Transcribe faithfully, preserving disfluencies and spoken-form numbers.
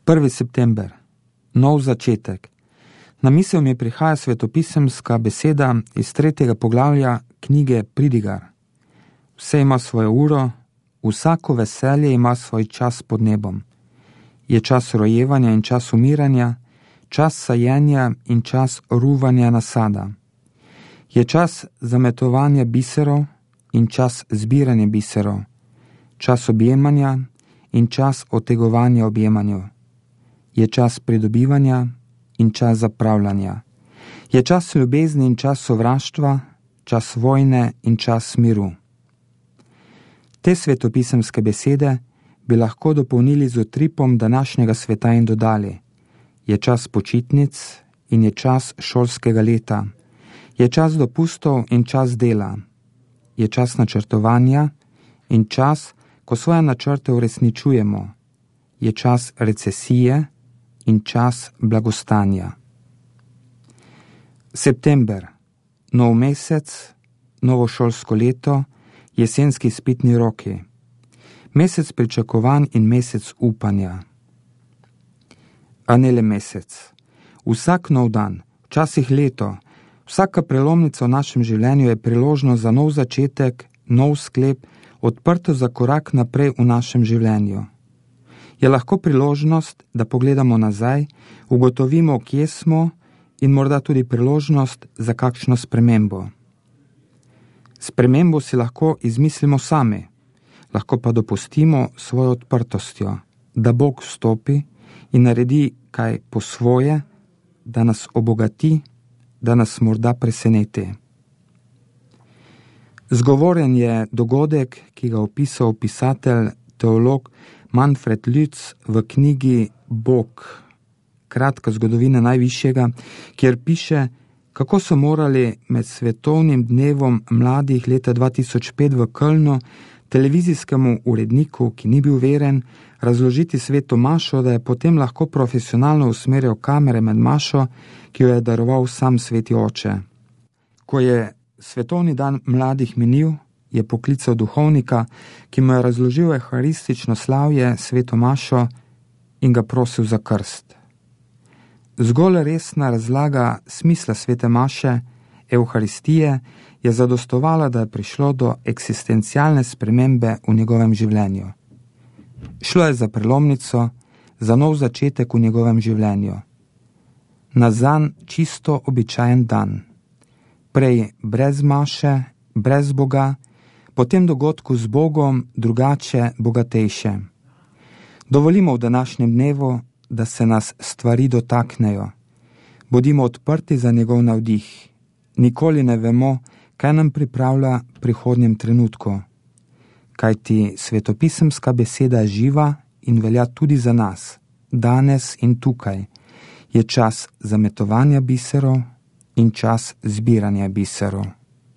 prvi september. Nov začetek. Na misel mi prihaja svetopisemska beseda iz tretjega poglavja knjige Pridigar. Vse ima svojo uro, vsako veselje ima svoj čas pod nebom. Je čas rojevanja in čas umiranja, čas sajenja in čas ruvanja nasada. Je čas zametovanja biserov in čas zbiranja biserov, čas objemanja in čas otegovanja objemanju. Je čas pridobivanja in čas zapravljanja. Je čas ljubezni in čas sovraštva, čas vojne in čas miru. Te svetopisemske besede bi lahko dopolnili z utripom današnjega sveta in dodali: je čas počitnic in je čas šolskega leta, je čas dopustov in čas dela, je čas načrtovanja in čas, ko svoje načrte uresničujemo, je čas recesije in čas blagostanja. September, nov mesec, novo šolsko leto, jesenski izpitni roki, mesec pričakovanj in mesec upanja. A ne le mesec. Vsak nov dan, včasih leto, vsaka prelomnica v našem življenju je priložnost za nov začetek, nov sklep, odprto za korak naprej v našem življenju. Je lahko priložnost, da pogledamo nazaj, ugotovimo, kje smo, in morda tudi priložnost za kakšno spremembo. Spremembo si lahko izmislimo sami, lahko pa dopustimo svojo odprtostjo, da Bog vstopi in naredi kaj po svoje, da nas obogati, da nas morda preseneti. Zgovoren je dogodek, ki ga opisal pisatelj, teolog Manfred Lütz v knjigi Bog, kratka zgodovina najvišjega, kjer piše, kako so morali med svetovnim dnevom mladih leta dva tisoč pet v Kölnu televizijskemu uredniku, ki ni bil veren, razložiti sveto mašo, da je potem lahko profesionalno usmerjal kamere med mašo, ki jo je daroval sam sveti oče. Ko je svetovni dan mladih minil, je poklical duhovnika, ki mu je razložil euharistično slavje, sveto mašo, in ga prosil za krst. Zgolj resna razlaga smisla svete maše, euharistije, je zadostovala, da je prišlo do eksistencialne spremembe v njegovem življenju. Šlo je za prelomnico, za nov začetek v njegovem življenju. Na zanj čisto običajen dan. Prej brez maše, brez Boga, potem dogodku z Bogom, drugače, bogatejše. Dovolimo v današnjem dnevu, da se nas stvari dotaknejo. Bodimo odprti za njegov navdih. Nikoli ne vemo, kaj nam pripravlja v prihodnjem trenutku. Kajti svetopisemska beseda je živa in velja tudi za nas, danes in tukaj. Je čas zametovanja biserov in čas zbiranja biserov.